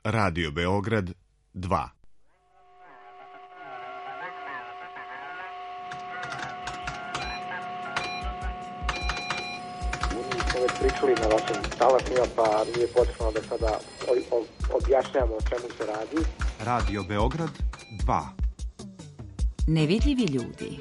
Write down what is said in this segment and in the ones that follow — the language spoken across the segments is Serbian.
Radio Beograd 2. Već pričali na vašim talasima, pa nije potrebno da sada objašnjamo o čemu se radi. Radio Beograd 2. Nevidljivi ljudi.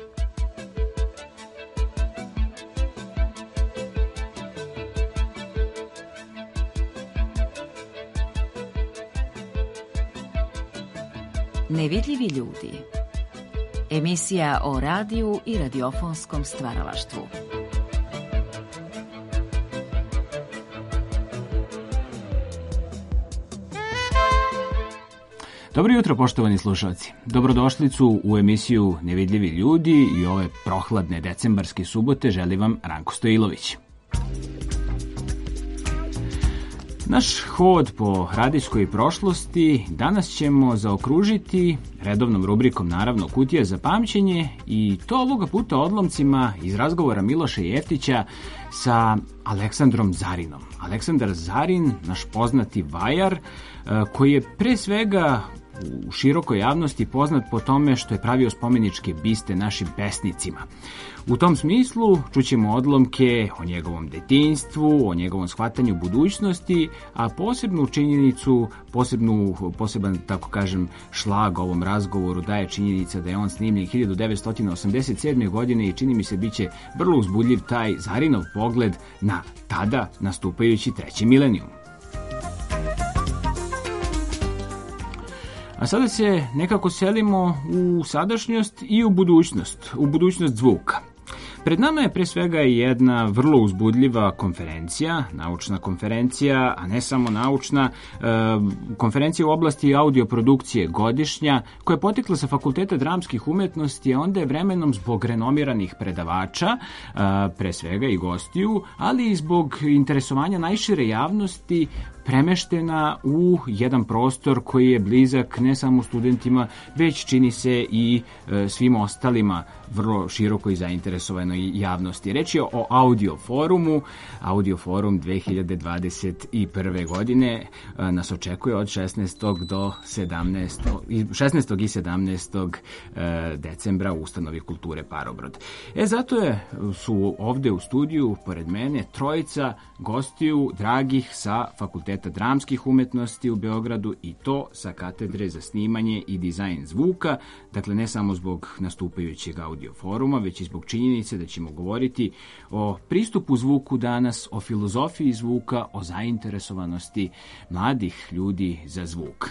Nevidljivi ljudi. Emisija o radiju i radiofonskom stvaralaštvu. Dobro jutro, poštovani slušalci. Dobrodošlicu u emisiju Nevidljivi ljudi i ove prohladne decembarske subote želi vam Ranko Stojilović. Naš hod po radijskoj prošlosti danas ćemo zaokružiti redovnom rubrikom, naravno, Kutija za pamćenje, i to ovoga puta odlomcima iz razgovora Miloša Jeftića sa Aleksandrom Zarinom. Aleksandar Zarin, naš poznati vajar, koji je pre svega u širokoj javnosti poznat po tome što je pravio spomeničke biste našim pesnicima. U tom smislu čućemo odlomke o njegovom detinjstvu, o njegovom shvatanju budućnosti, a posebnu činjenicu, poseban, tako kažem, šlag ovom razgovoru daje činjenica da je on snimljen 1987. godine i čini mi se biće vrlo uzbudljiv taj Zarinov pogled na tada nastupajući treći milenijum. A sada se nekako selimo u sadašnjost i u budućnost zvuka. Pred nama je pre svega jedna vrlo uzbudljiva konferencija, naučna konferencija, a ne samo naučna, konferencija u oblasti audioprodukcije godišnja, koja je potekla sa Fakulteta dramskih umetnosti, a onda je vremenom zbog renomiranih predavača, pre svega i gostiju, ali i zbog interesovanja najšire javnosti, premeštena u jedan prostor koji je blizak ne samo studentima, već čini se i svim ostalima vrlo širokoj zainteresovanoj javnosti. Reč je o Audio Forumu. Audio Forum 2021. godine nas očekuje od 16. i 17. decembra u Ustanovi kulture Parobrod. Zato su ovde u studiju pored mene trojica gostiju dragih sa Fakulteta dramskih umetnosti u Beogradu, i to sa katedre za snimanje i dizajn zvuka. Dakle, ne samo zbog nastupajućeg Audio Foruma, već i zbog činjenice da ćemo govoriti o pristupu zvuku danas, o filozofiji zvuka, o zainteresovanosti mladih ljudi za zvuk.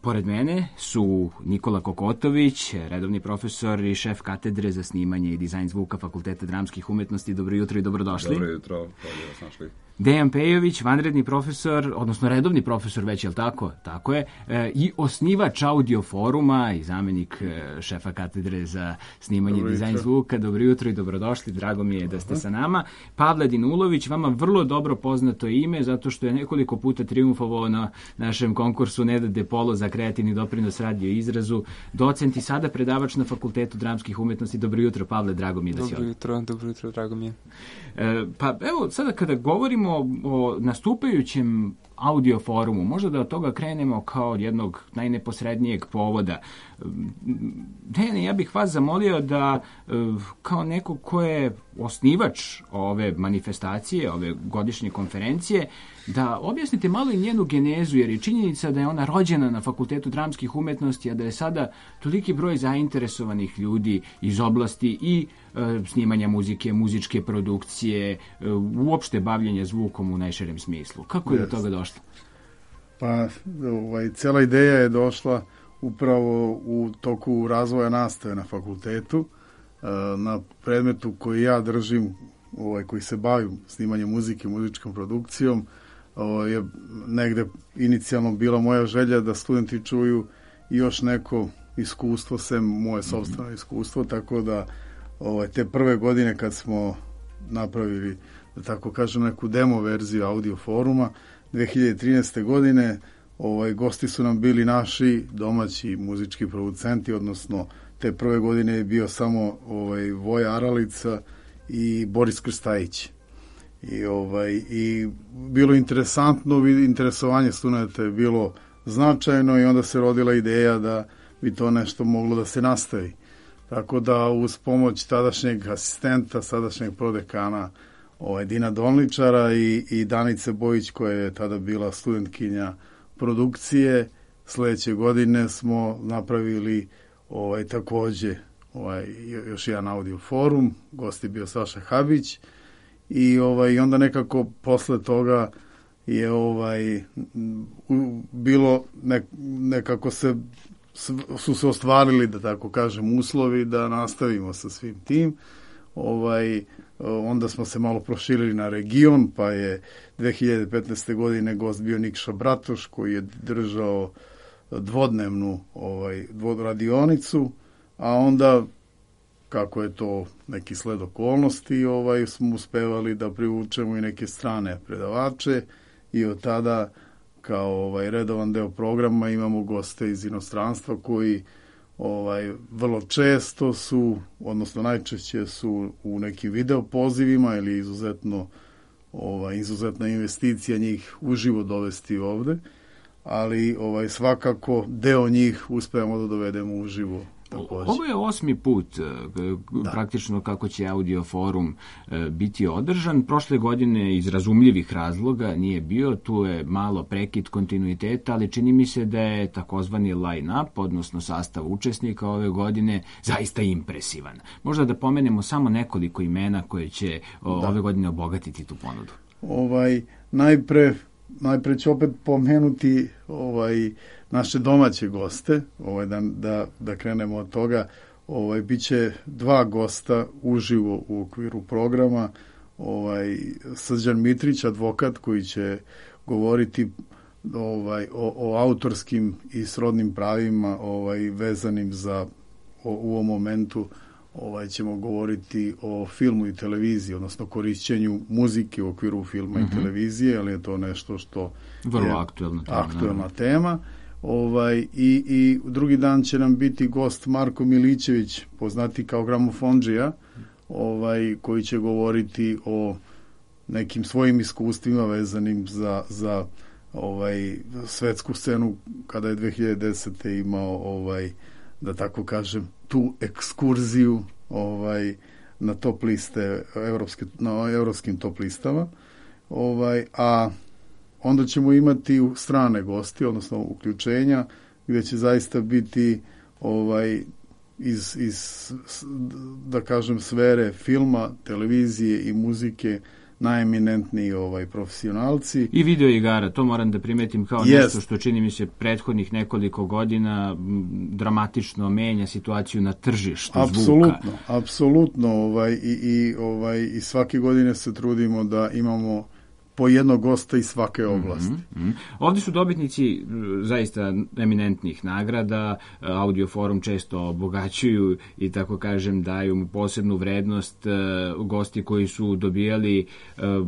Pored mene su Nikola Kokotović, redovni profesor i šef katedre za snimanje i dizajn zvuka Fakulteta dramskih umetnosti. Dobro jutro i dobrodošli. Dobro jutro, hvala da vas našli. Dejan Pejović, vanredni profesor, odnosno redovni profesor već, je li tako? Tako je. I osnivač Audio Foruma i zamenik šefa katedre za snimanje i dizajn zvuka. Dobro jutro i dobrodošli, drago mi je da ste sa nama. Pavle Dinulović, vama vrlo dobro poznato ime, zato što je nekoliko puta triumfovao na našem konkursu Neda De Polo za kreativni doprinos radio izrazu. Docent i sada predavač na Fakultetu dramskih umetnosti. Dobro jutro, Pavle, drago mi je da si ovdje. Dobro jutro, drago mi je. Pa evo, sada kada govorimo o nastupajućem Audio Forumu, možda da od toga krenemo kao od jednog najneposrednijeg povoda. Dejane, ja bih vas zamolio da kao neko ko je osnivač ove manifestacije, ove godišnje konferencije, da objasnite malo i njenu genezu, jer je činjenica da je ona rođena na Fakultetu dramskih umetnosti, a da je sada toliki broj zainteresovanih ljudi iz oblasti i snimanja muzike, muzičke produkcije, uopšte bavljenja zvukom u najširem smislu. Kako je do toga došlo? Pa, cijela ideja je došla upravo u toku razvoja nastave na fakultetu, na predmetu koji ja držim, koji se bavim snimanjem muzike, muzičkom produkcijom. Je negde inicijalno bila moja želja da studenti čuju još neko iskustvo, sem moje sopstveno iskustvo, tako da te prve godine kad smo napravili, da tako kažem, neku demo verziju Audio Foruma 2013. godine, gosti su nam bili naši domaći muzički producenti, odnosno te prve godine je bio samo Voja Aralica i Boris Krstajić. I bilo interesantno, interesovanje studenta je bilo značajno i onda se rodila ideja da bi to nešto moglo da se nastavi. Tako da uz pomoć tadašnjeg asistenta, sadašnjeg prodekana Dina Donličara i Danice Bojić, koja je tada bila studentkinja produkcije, sledeće godine smo napravili takođe još jedan audio forum, gost je bio Saša Habić i onda nekako posle toga je bilo nekako su se ostvarili, da tako kažem, uslovi da nastavimo sa svim tim. Onda smo se malo proširili na region, pa je 2015. godine gost bio Nikša Bratoš, koji je držao dvodnevnu radionicu, a onda, kako je to neki sled okolnosti, smo uspevali da privučemo i neke strane predavače i od tada kao redovan deo programa imamo goste iz inostranstva koji vrlo često su, odnosno najčešće su u nekim video pozivima ili izuzetna investicija njih uživo dovesti ovde, ali svakako deo njih uspevamo da dovedemo uživo. Takođe. Ovo je 8. put praktično kako će audio forum biti održan. Prošle godine iz razumljivih razloga nije bio, tu je malo prekid kontinuiteta, ali čini mi se da je takozvani line-up, odnosno sastav učesnika ove godine, zaista impresivan. Možda da pomenemo samo nekoliko imena koje će ove godine obogatiti tu ponudu. Najpre ću opet pomenuti naše domaće goste, da krenemo od toga. Biće 2 gosta uživo u okviru programa. Srđan Mitrić, advokat, koji će govoriti o autorskim i srodnim pravima vezanim za u ovom momentu. Ćemo govoriti o filmu i televiziji, odnosno korišćenju muzike u okviru filma i televizije, ali je to nešto što vrlo je aktuelna tema. I drugi dan će nam biti gost Marko Milićević, poznati kao gramofondžija, koji će govoriti o nekim svojim iskustvima vezanim za svetsku scenu kada je 2010. imao da tako kažem tu ekskurziju na top liste na evropskim top listama, a onda ćemo imati strane gosti, odnosno uključenja, gde će zaista biti iz da kažem sfere filma, televizije i muzike najeminentniji profesionalci. I video igara, to moram da primetim kao nešto što čini mi se prethodnih nekoliko godina dramatično menja situaciju na tržištu zvuka. Apsolutno. I svake godine se trudimo da imamo po jednog gosta iz svake oblasti. Ovdje su dobitnici zaista eminentnih nagrada, audio forum često obogaćuju i tako kažem daju mu posebnu vrednost, gosti koji su dobijali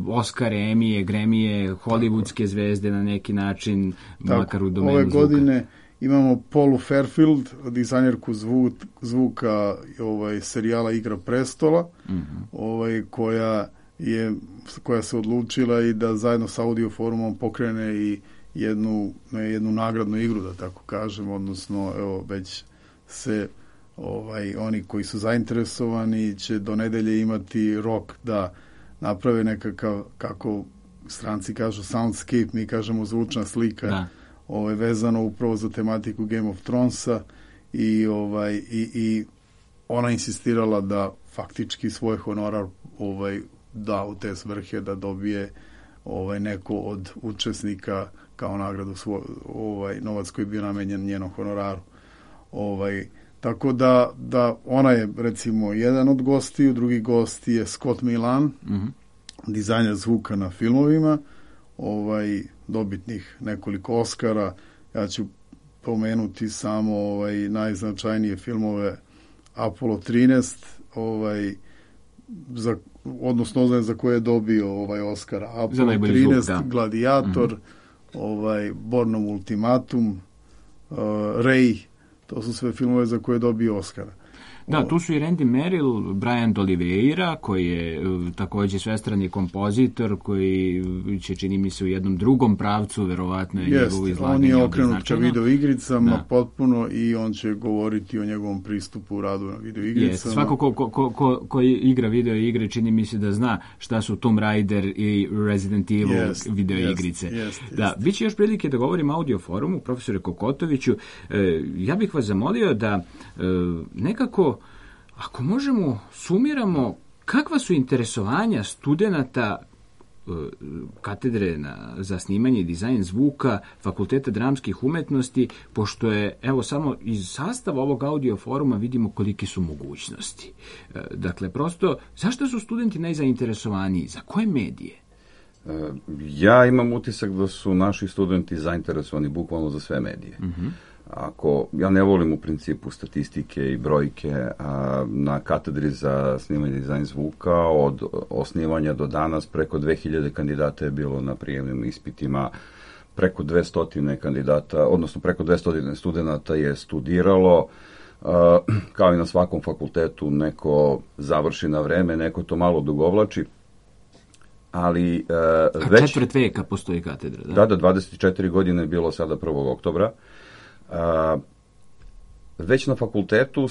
Oscare, Emije, Gremije, hollywoodske zvezde na neki način, makar u domenu zvuka. Ove godine imamo Paulu Fairfield, dizajnerku zvuka serijala Igra prestola, koja se odlučila i da zajedno sa audio forumom pokrene i jednu nagradnu igru, da tako kažem, odnosno već se oni koji su zainteresovani će do nedelje imati rok da naprave nekakav, kako stranci kažu soundscape, mi kažemo zvučna slika, vezano upravo za tematiku Game of Thronesa i ona insistirala da faktički svoj honorar da u te svrhe da dobije neko od učesnika kao nagradu novac koji je bio namenjen njenom honoraru. Tako da ona je recimo jedan od gostiju, drugi gost je Scott Milan, dizajner zvuka na filmovima, dobitnih nekoliko Oscara. Ja ću pomenuti samo najznačajnije filmove Apollo 13, odnosno za koje je dobio Oscara. Apollo 13, Gladiator, Bornom ultimatum, Ray, to su sve filmove za koje je dobio Oscara. Da, tu su i Randy Merrill, Brian D'Oliveira, koji je takođe svestrani kompozitor, koji će, čini mi se, u jednom drugom pravcu, verovatno je njegovo izlaganje. On je okrenut ka videoigricama potpuno i on će govoriti o njegovom pristupu u radu na videoigricama. Svako ko igra videoigre, čini mi se da zna šta su Tomb Raider i Resident Evil videoigrice. Da, bit će još prilike da govorim o audio forumu, profesore Kokotoviću. Ja bih vas zamolio da nekako, ako možemo, sumiramo kakva su interesovanja studenata katedre za snimanje i dizajn zvuka Fakulteta dramskih umetnosti, pošto je, evo, samo iz sastava ovog audio foruma vidimo kolike su mogućnosti. Dakle, prosto, zašto su studenti najzainteresovaniji? Za koje medije? Ja imam utisak da su naši studenti zainteresovani bukvalno za sve medije. Ja ne volim u principu statistike i brojke, na katedri za snimanje i dizajn zvuka od osnivanja do danas preko 2000 kandidata je bilo na prijemnim ispitima, preko 200 kandidata, odnosno preko 200 studenta je studiralo, kao i na svakom fakultetu, neko završi na vreme, neko to malo dugovlači. Ali četvrt veka postoji katedra, da? Da, 24 godine je bilo sada 1. oktobra. Već na fakultetu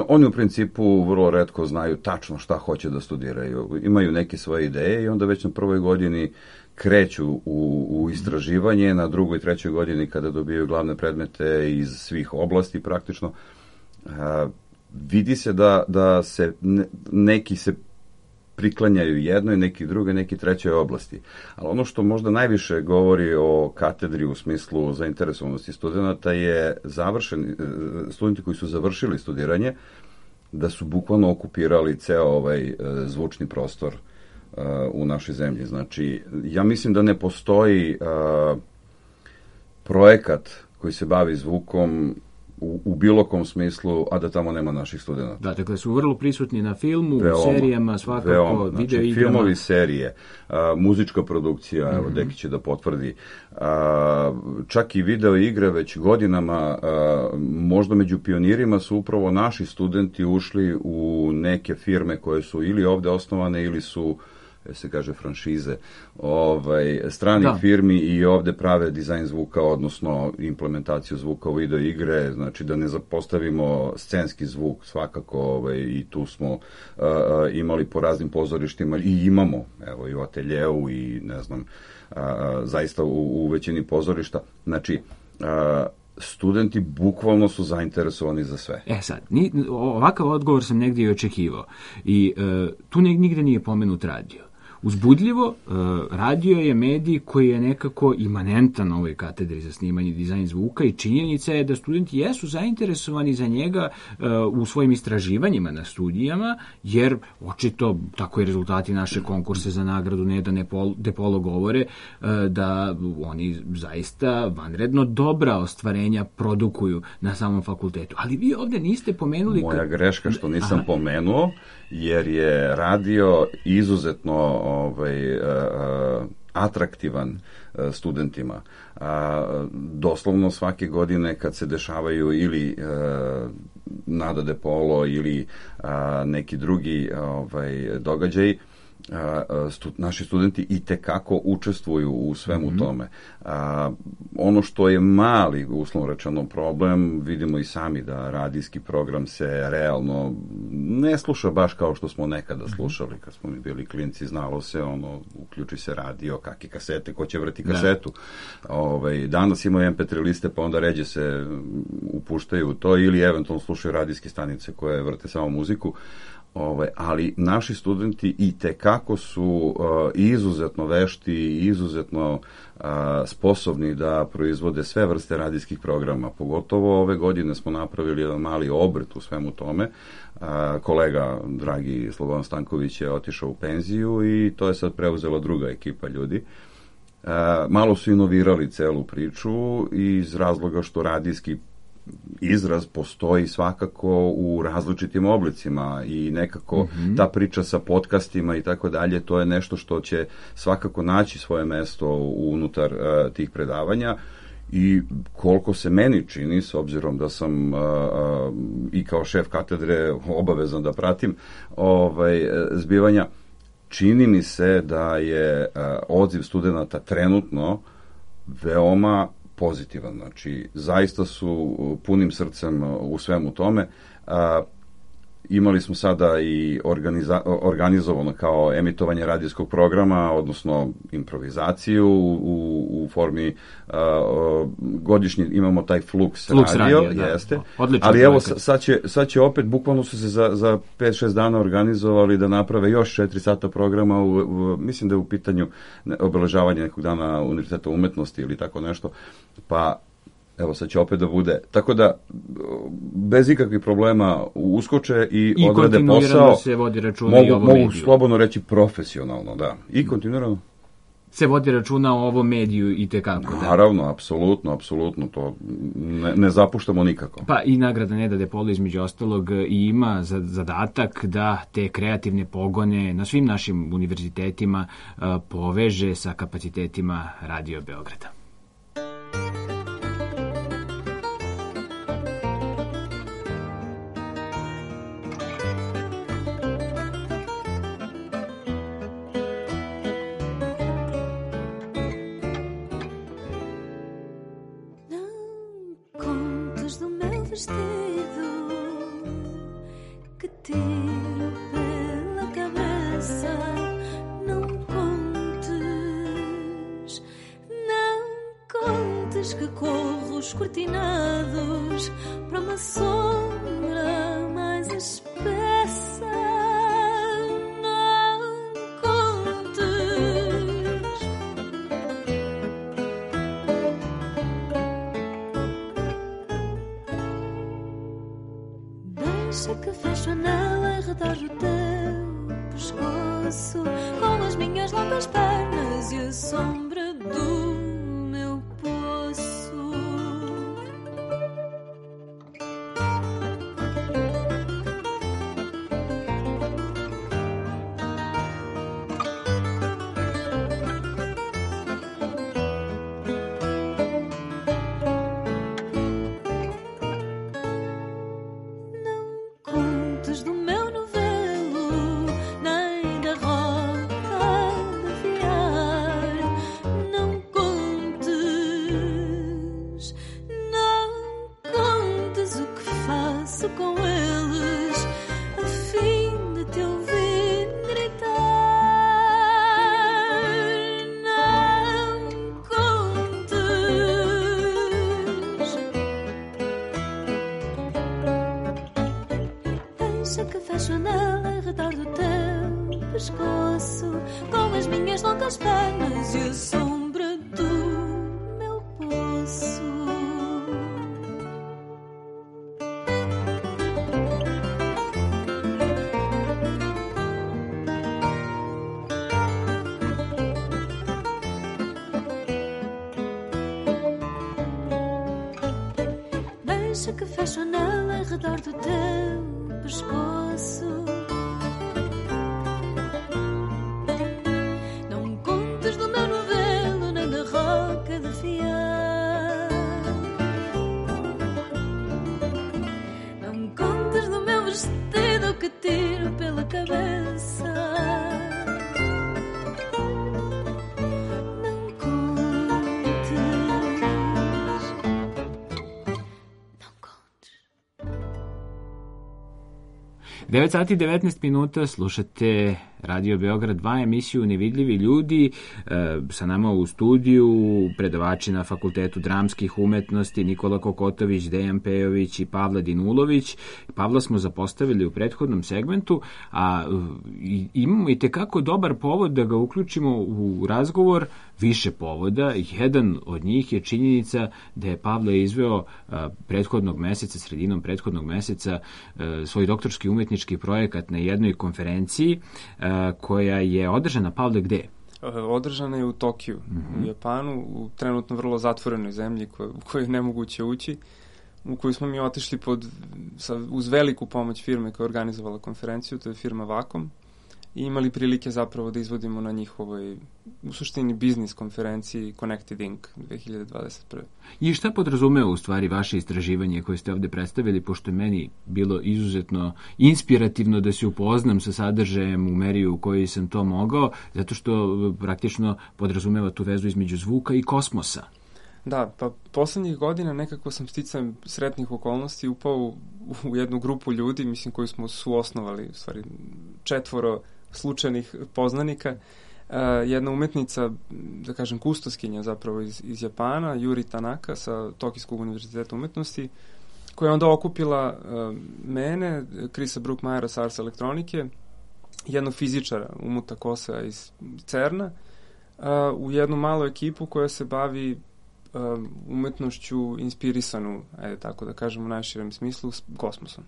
oni u principu vrlo retko znaju tačno šta hoće da studiraju. Imaju neke svoje ideje i onda već na prvoj godini kreću u istraživanje, na drugoj i trećoj godini kada dobijaju glavne predmete iz svih oblasti praktično. Vidi se da se neki se priklanjaju jednoj, neki druge, neki trećoj oblasti. Ali ono što možda najviše govori o katedri u smislu zainteresovanosti studenta je studenti koji su završili studiranje, da su bukvalno okupirali ceo ovaj zvučni prostor u našoj zemlji. Znači, ja mislim da ne postoji projekat koji se bavi zvukom u bilo kom smislu, a da tamo nema naših studenta. Da, dakle su vrlo prisutni na filmu, u serijama, svakako, videoigrama. Filmovi, serije, muzička produkcija, evo, Deki će da potvrdi, čak i videoigre već godinama, možda među pionirima su upravo naši studenti ušli u neke firme koje su ili ovde osnovane ili su, se kaže, franšize stranih firmi i ovde prave dizajn zvuka, odnosno implementaciju zvuka u video igre, znači da ne zapostavimo scenski zvuk svakako, i tu smo imali po raznim pozorištima i imamo, evo, i u ateljeu i ne znam, zaista u većini pozorišta, znači studenti bukvalno su zainteresovani za sve. Sad, ovakav odgovor sam negdje i očekivao i tu nigde nije pomenut radio. Uzbudljivo, radio je medij koji je nekako imanentan na ovoj katedri za snimanje i dizajn zvuka i činjenica je da studenti jesu zainteresovani za njega u svojim istraživanjima na studijama, jer očito tako i rezultati naše konkurse za nagradu Neda Depolo govore da oni zaista vanredno dobra ostvarenja produkuju na samom fakultetu. Ali vi ovde niste pomenuli... Moja greška što nisam pomenuo, jer je radio izuzetno atraktivan studentima. Doslovno svake godine kad se dešavaju ili Nada Depolo ili neki drugi događaji, naši studenti itekako učestvuju u svemu tome. Ono što je mali, uslovno rečeno, problem, vidimo i sami da radijski program se realno ne sluša baš kao što smo nekada slušali. Kad smo mi bili klinci, znalo se, uključi se radio, kakve kasete, ko će vrti kasetu. Danas imaju MP3 liste, pa onda ređe se upuštaju u to ili eventualno slušaju radijske stanice koje vrte samo muziku. Ali naši studenti itekako su izuzetno vešti i izuzetno sposobni da proizvode sve vrste radijskih programa. Pogotovo ove godine smo napravili jedan mali obrt u svemu tome. Kolega, dragi Slobodan Stanković, je otišao u penziju i to je sad preuzela druga ekipa ljudi. Malo su inovirali celu priču iz razloga što radijski izraz postoji svakako u različitim oblicima i nekako ta priča sa podcastima i tako dalje, to je nešto što će svakako naći svoje mesto unutar tih predavanja I koliko se meni čini, s obzirom da sam i kao šef katedre obavezan da pratim zbivanja, čini mi se da je odziv studenata trenutno veoma pozitivan. Znači, zaista su punim srcem u svemu tome. Imali smo sada i organizovano kao emitovanje radijskog programa, odnosno improvizaciju u formi godišnji, imamo taj Flux radio, jeste. Ali evo, sad će opet, bukvalno su se za 5-6 dana organizovali da naprave još 4 sata programa, mislim da je u pitanju obeležavanje nekog dana Univerziteta umetnosti ili tako nešto, pa evo, sad će opet da bude. Tako da, bez ikakvih problema uskoče i odrade posao. Se vodi računa i ovo mediju. Mogu slobodno reći profesionalno, da. I kontinuirano. Se vodi računa o ovom mediju i tekako, da. Naravno, apsolutno, to ne zapuštamo nikako. Pa i nagrada Neda de Polo, između ostalog, i ima zadatak da te kreativne pogone na svim našim univerzitetima poveže sa kapacitetima Radio Beograda. Que corro escortinados para uma sombra mais espessa. Não contes. Deixa que feche a anel ao redor do teu pescoço, com as minhas longas pernas e a sombra do que fecha a anel ao redor do teu pescoço. Não contes do meu novelo nem da roca de fiar. Não contes do meu vestido que tiro pela cabeça. Não contes. 9 sati 19 minuta, slušate Radio Beograd 2, emisiju Nevidljivi ljudi. Sa nama u studiju predavači na Fakultetu dramskih umetnosti Nikola Kokotović, Dejan Pejović i Pavla Dinulović. Pavla smo zapostavili u prethodnom segmentu, a imamo i tekako dobar povod da ga uključimo u razgovor, više povoda. Jedan od njih je činjenica da je Pavle izveo prethodnog meseca, sredinom prethodnog meseca, svoj doktorski umetnički projekat na jednoj konferenciji koja je održana, Pavle, gde? Održana je u Tokiju, u Japanu, u trenutno vrlo zatvorenoj zemlji u kojoj je nemoguće ući, u koju smo mi otišli uz veliku pomoć firme koja je organizovala konferenciju, to je firma Vakom. i imali prilike zapravo da izvodimo na njihovoj, u suštini, biznis konferenciji Connected Inc. 2021. I šta podrazumeva u stvari vaše istraživanje koje ste ovde predstavili, pošto je meni bilo izuzetno inspirativno da se upoznam sa sadržajem u meri u kojoj sam to mogao, zato što praktično podrazumeva tu vezu između zvuka i kosmosa. Da, pa poslednjih godina nekako sam sticajem sretnih okolnosti upao u jednu grupu ljudi, mislim, koju smo suosnovali, u stvari 4 slučajnih poznanika. Jedna umetnica, da kažem, kustoskinja zapravo iz Japana, Yuri Tanaka sa Tokijskog univerziteta umetnosti, koja je onda okupila mene, Chrisa Brookmajera sa Ars elektronike, jednog fizičara, Umuta Kosea iz CERN-a, u jednu malu ekipu koja se bavi umetnošću inspirisanu, ajde tako da kažem u najširem smislu, s kosmosom.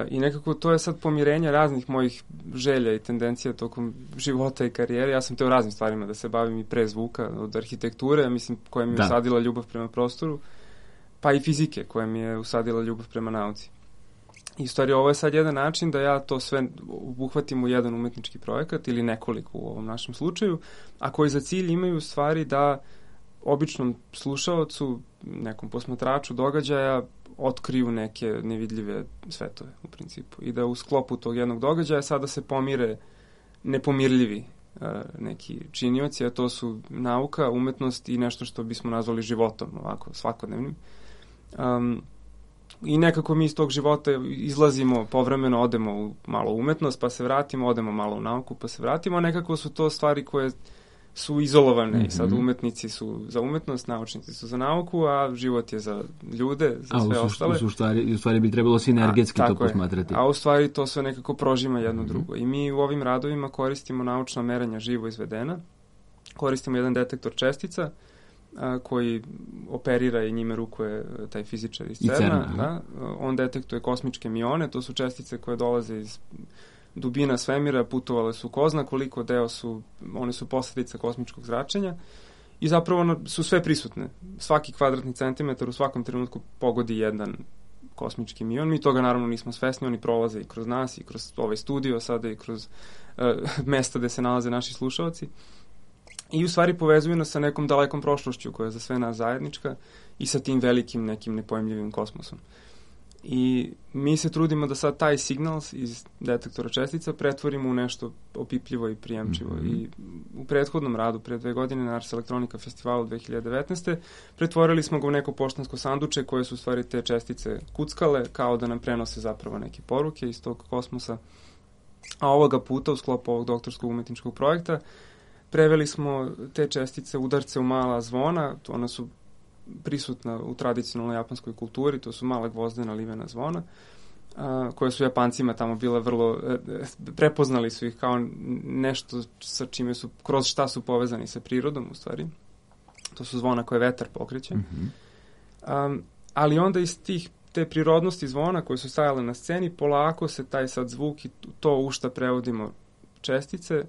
I nekako to je sad pomirenje raznih mojih želja i tendencija tokom života i karijere. Ja sam teo raznim stvarima da se bavim i pre zvuka, od arhitekture, mislim, koja mi je usadila ljubav prema prostoru, pa i fizike, koja mi je usadila ljubav prema nauci. I u stvari ovo je sad jedan način da ja to sve obuhvatim u jedan umetnički projekat ili nekoliko u ovom našem slučaju, a koji za cilj imaju u stvari da običnom slušaocu, nekom posmatraču događaja otkriju neke nevidljive svetove u principu i da u sklopu tog jednog događaja sada se pomire nepomirljivi neki činioci, a to su nauka, umetnost i nešto što bismo nazvali životom, ovako, svakodnevnim. I nekako mi iz tog života izlazimo, povremeno odemo malo u umetnost, pa se vratimo, odemo malo u nauku, pa se vratimo, a nekako su to stvari koje su izolovane i sad umetnici su za umetnost, naučnici su za nauku, a život je za ljude, za sve ostale. U stvari bi trebalo sinergetski to posmatrati. A u stvari to sve nekako prožima jedno drugo. I mi u ovim radovima koristimo naučna merenja živo izvedena, koristimo jedan detektor čestica koji operira i njime rukuje taj fizičar iz CERN-a. Da? On detektuje kosmičke mione, to su čestice koje dolaze iz dubina svemira, putovale su ko zna koliko, one su posledica kosmičkog zračenja i zapravo su sve prisutne. Svaki kvadratni centimetar u svakom trenutku pogodi jedan kosmički mion. Mi toga naravno nismo svesni, oni prolaze i kroz nas i kroz ovaj studio sada i kroz mesta gde se nalaze naši slušalci. I u stvari povezuju nas sa nekom dalekom prošlošću koja je za sve nas zajednička i sa tim velikim nekim nepojmljivim kosmosom. I mi se trudimo da sad taj signal iz detektora čestica pretvorimo u nešto opipljivo i prijemčivo. I u prethodnom radu, pre 2 godine na Ars Elektronika festivalu 2019. pretvorili smo ga u neko poštansko sanduče koje su u stvari te čestice kuckale kao da nam prenose zapravo neke poruke iz tog kosmosa. A ovoga puta u sklopu ovog doktorskog umetničkog projekta preveli smo te čestice, udarce u mala zvona, ona su prisutna u tradicionalnoj japanskoj kulturi, to su mala gvozdena livena zvona, koje su Japancima tamo bile vrlo, prepoznali su ih kao nešto sa čime su, kroz šta su povezani sa prirodom u stvari. To su zvona koje vetar pokreće. Ali onda iz te prirodnosti zvona koje su stajale na sceni, polako se taj sad zvuk i to u šta prevodimo čestice,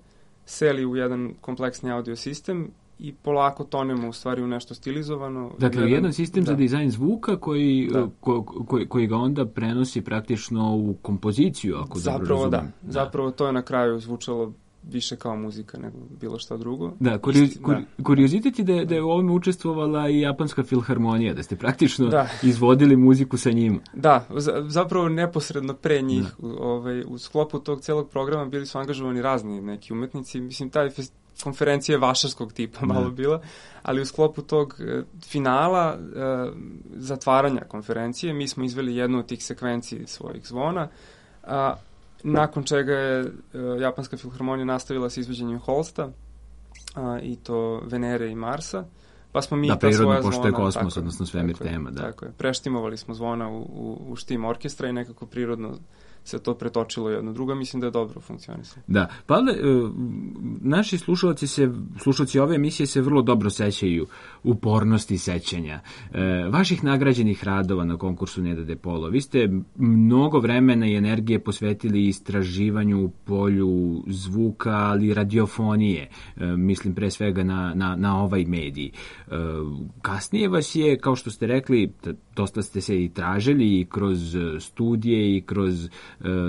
seli u jedan kompleksni audio sistem i polako tonemo u stvari u nešto stilizovano. Dakle, jedan sistem za dizajn zvuka koji ga onda prenosi praktično u kompoziciju, ako dobro razumem. Da. Zapravo to je na kraju zvučalo više kao muzika nego bilo šta drugo. Da, kuriozitet je da je u ovome učestvovala i Japanska filharmonija, da ste praktično izvodili muziku sa njima. Da, zapravo neposredno pre njih. U sklopu tog celog programa bili su angažovani razni neki umetnici. Mislim, taj konferencija je vašarskog tipa malo bila, ali u sklopu tog finala zatvaranja konferencije mi smo izveli jednu od tih sekvenciji svojih zvona, nakon čega je Japanska filharmonija nastavila sa izvođenjem Holsta i to Venere i Marsa, pa smo mi ta svoja zvona... pošto je kosmos, odnosno svemir tema. Tako je, preštimovali smo zvona u štim orkestra i nekako prirodno se to pretočilo jedno drugo, mislim da je dobro funkcionisalo. Da, Pavle, naši slušalci ove emisije se vrlo dobro sećaju upornosti sećanja. Vaših nagrađenih radova na konkursu Neda de Polo. Vi ste mnogo vremena i energije posvetili istraživanju u polju zvuka, ali radiofonije. Mislim pre svega na ovaj medij. Kasnije vas je, kao što ste rekli, dosta ste se i tražili i kroz studije i kroz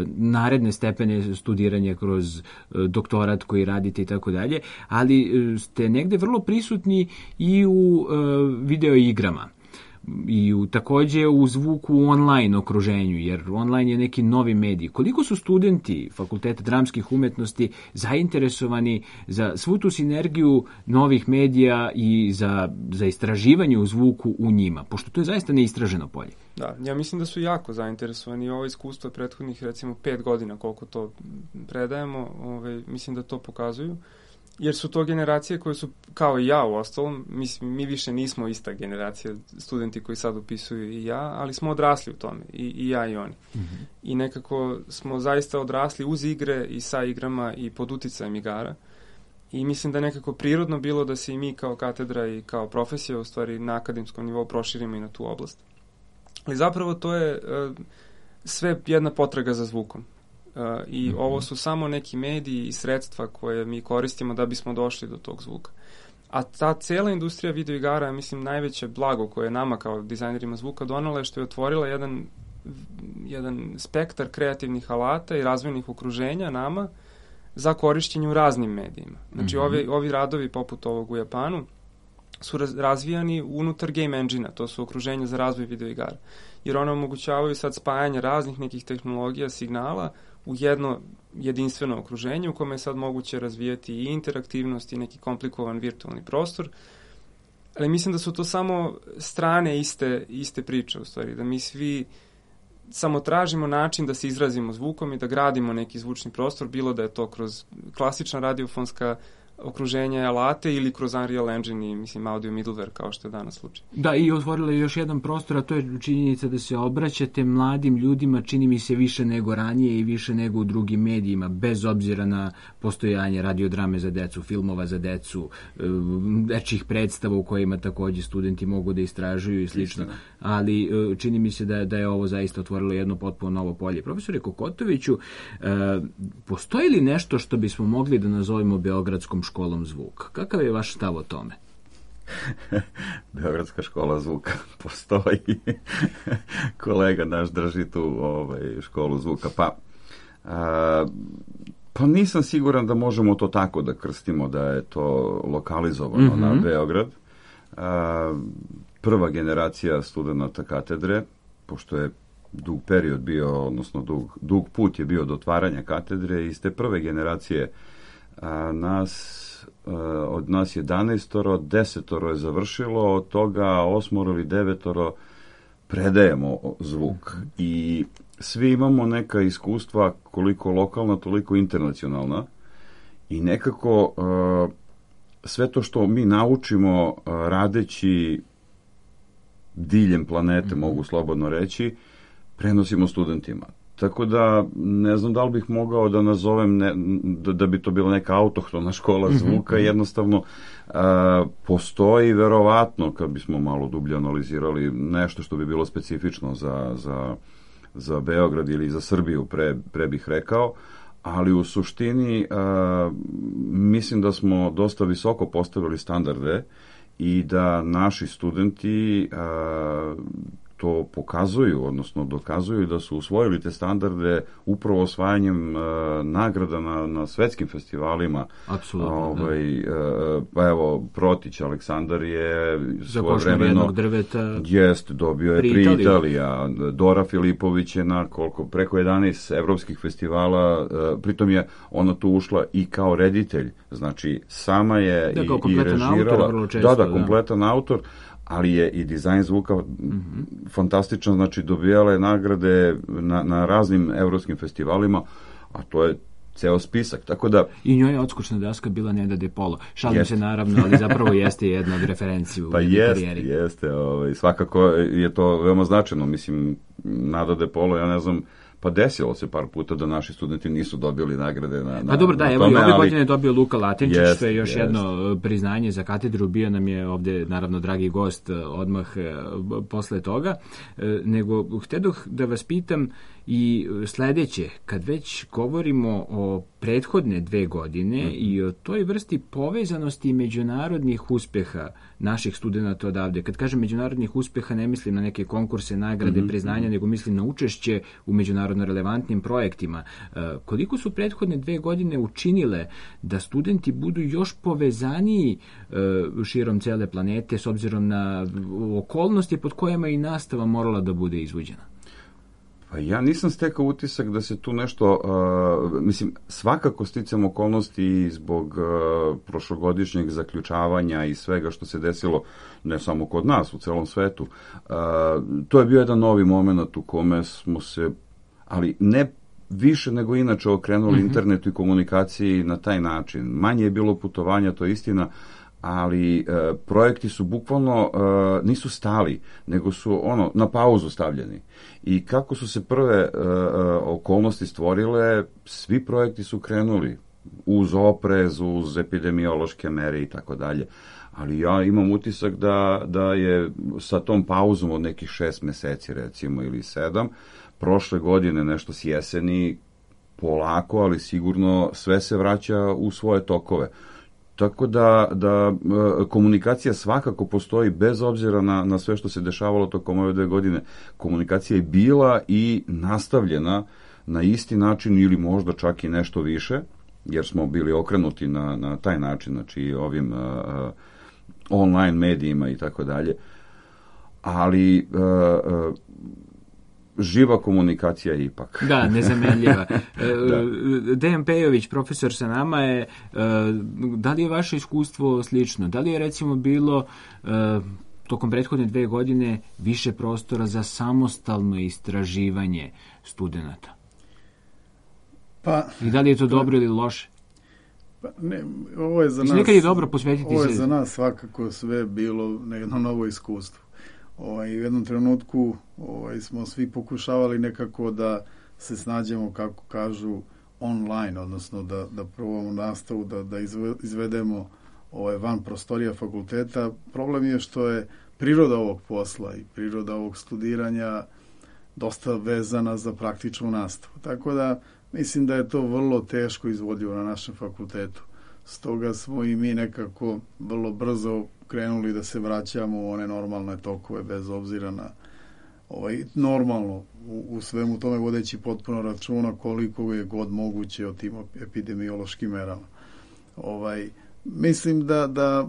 naredne stepene studiranja, kroz doktorat koji radite i tako dalje, ali ste negde vrlo prisutni i u video igrama. I takođe u zvuku u online okruženju, jer online je neki novi medij. Koliko su studenti Fakulteta dramskih umetnosti zainteresovani za svu tu sinergiju novih medija i za istraživanje u zvuku u njima, pošto to je zaista neistraženo polje? Da, ja mislim da su jako zainteresovani. Ovo iskustvo prethodnih recimo 5 godina koliko to predajemo, mislim da to pokazuju. Jer su to generacije koje su, kao i ja u ostalom, mi više nismo ista generacija, studenti koji sad upisuju i ja, ali smo odrasli u tome, i ja i oni. Mm-hmm. I nekako smo zaista odrasli uz igre i sa igrama i pod uticajem igara. I mislim da je nekako prirodno bilo da se i mi kao katedra i kao profesija, u stvari na akademskom nivou, proširimo i na tu oblast. Ali zapravo to je sve jedna potraga za zvukom. I ovo su samo neki mediji i sredstva koje mi koristimo da bismo došli do tog zvuka. A ta cela industrija videoigara je, mislim, najveće blago koje je nama kao dizajnerima zvuka donala je što je otvorila jedan spektar kreativnih alata i razvojnih okruženja nama za korišćenje u raznim medijima. Znači, ovi radovi poput ovog u Japanu su razvijani unutar game engine-a, to su okruženja za razvoj videoigara. Jer one omogućavaju sad spajanje raznih nekih tehnologija, signala u jedno jedinstveno okruženje u kome je sad moguće razvijati i interaktivnost i neki komplikovan virtualni prostor. Ali mislim da su to samo strane iste priče, u stvari, da mi svi samo tražimo način da se izrazimo zvukom i da gradimo neki zvučni prostor, bilo da je to kroz klasična radiofonska okruženja, alate ili kroz Unreal Engine i, mislim, audio middleware, kao što je danas slučaj. Da, i otvorila je još jedan prostor, a to je činjenica da se obraćate mladim ljudima, čini mi se više nego ranije i više nego u drugim medijima, bez obzira na postojanje radiodrame za decu, filmova za decu, dečjih predstava u kojima takođe studenti mogu da istražuju i slično. Ali čini mi se da je ovo zaista otvorilo jedno potpuno novo polje. Profesore Kokotoviću, postoji li nešto što bismo mogli da nazovemo Beogradskom školom zvuka? Kakav je vaš stav o tome? Beogradska škola zvuka postoji. Kolega naš drži tu školu zvuka. Pa nisam siguran da možemo to tako da krstimo, da je to lokalizovano na Beograd. Prva generacija studenta katedre, pošto je dug period bio, odnosno dug put je bio do otvaranja katedre, iz te prve generacije od nas 11, 10 je završilo, od toga 8 ili 9 predajemo zvuk. I svi imamo neka iskustva, koliko lokalna, toliko internacionalna, i nekako sve to što mi naučimo radeći diljem planete, mogu slobodno reći, prenosimo studentima. Tako da ne znam da li bih mogao da nazovem da bi to bila neka autohtona škola zvuka, jednostavno postoji verovatno, kad bismo malo dublje analizirali, nešto što bi bilo specifično za Beograd ili za Srbiju, pre bih rekao, ali u suštini mislim da smo dosta visoko postavili standarde i da naši studenti to pokazuju, odnosno dokazuju da su usvojili te standarde upravo osvajanjem nagrada na svetskim festivalima. Apsolutno, pa evo, Protić Aleksandar je svojevremeno jednog drveta dobio je pri Italija. Dora Filipović je na preko 11 evropskih festivala, pritom je ona tu ušla i kao reditelj, znači sama je i režirala. Kompletan autor, ali je i dizajn zvuka fantastičan, znači dobijala je nagrade na raznim evropskim festivalima, a to je ceo spisak, tako da... I njoj je odskočna daska bila Neda De Polo. Šalim se naravno, ali zapravo jeste jedna od referenci u karijeri. Jeste, svakako je to veoma značajno, mislim, Nada De Polo, ja ne znam, pa desilo se par puta da naši studenti nisu dobili nagrade na dobro, da, evo i ove godine je dobio Luka Latinčić, što je još jedno priznanje za katedru. Bio nam je ovde, naravno, dragi gost odmah posle toga. Nego, htedoh da vas pitam I sledeće, kad već govorimo o prethodne 2 godine i o toj vrsti povezanosti međunarodnih uspeha naših studenta odavde, kad kažem međunarodnih uspeha ne mislim na neke konkurse, nagrade, priznanja, nego mislim na učešće u međunarodno relevantnim projektima. Koliko su prethodne 2 godine učinile da studenti budu još povezaniji širom cele planete s obzirom na okolnosti pod kojima i nastava morala da bude izvođena? Pa ja nisam stekao utisak da se tu nešto, mislim, svakako sticam okolnosti zbog prošlogodišnjeg zaključavanja i svega što se desilo, ne samo kod nas, u celom svetu. To je bio jedan novi moment u kome smo se, ali ne više nego inače okrenuli internetu i komunikaciji na taj način. Manje je bilo putovanja, to je istina, ali projekti su bukvalno nisu stali, nego su na pauzu stavljeni. I kako su se prve okolnosti stvorile, svi projekti su krenuli uz oprez, uz epidemiološke mere i tako dalje. Ali ja imam utisak da je sa tom pauzom od nekih 6 meseci recimo ili 7, prošle godine nešto s jeseni polako, ali sigurno sve se vraća u svoje tokove. Tako da komunikacija svakako postoji bez obzira na sve što se dešavalo tokom ove 2 godine. Komunikacija je bila i nastavljena na isti način ili možda čak i nešto više, jer smo bili okrenuti na taj način, znači ovim online medijima i tako dalje. Ali živa komunikacija je ipak. Da, nezamenljiva. Dejan Pejović, profesor sa nama je, da li je vaše iskustvo slično? Da li je recimo bilo tokom prethodne 2 godine više prostora za samostalno istraživanje studenta? I da li je to dobro ili loše? Pa ne, ovo je za nas... Nekad je dobro posvetiti ovo je za nas svakako sve bilo jedno novo iskustvo. U jednom trenutku smo svi pokušavali nekako da se snađemo, kako kažu, online, odnosno da probamo nastavu, da izvedemo van prostorija fakulteta. Problem je što je priroda ovog posla i priroda ovog studiranja dosta vezana za praktičnu nastavu. Tako da mislim da je to vrlo teško izvodljivo na našem fakultetu. Stoga smo i mi nekako vrlo brzo krenuli da se vraćamo u one normalne tokove bez obzira na normalno u svemu tome vodeći potpuno računa koliko je god moguće o tim epidemiološkim merama. Mislim da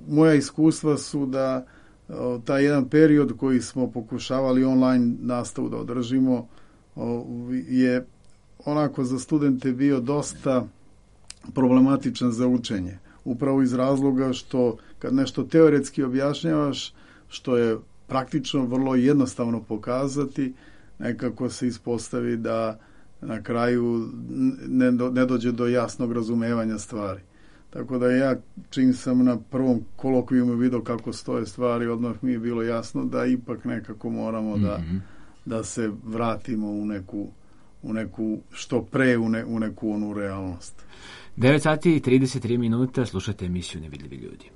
moja iskustva su da taj jedan period koji smo pokušavali online nastavu da održimo je onako za studente bio dosta problematičan za učenje. Upravo iz razloga što kad nešto teoretski objašnjavaš, što je praktično vrlo jednostavno pokazati, nekako se ispostavi da na kraju ne dođe do jasnog razumevanja stvari. Tako da ja, čim sam na prvom kolokvijumu vidio kako stoje stvari, odmah mi je bilo jasno da ipak nekako moramo da se vratimo u neku što pre u neku onu realnost. 9 sati i 33 minuta, slušate emisiju Nevidljivi ljudi.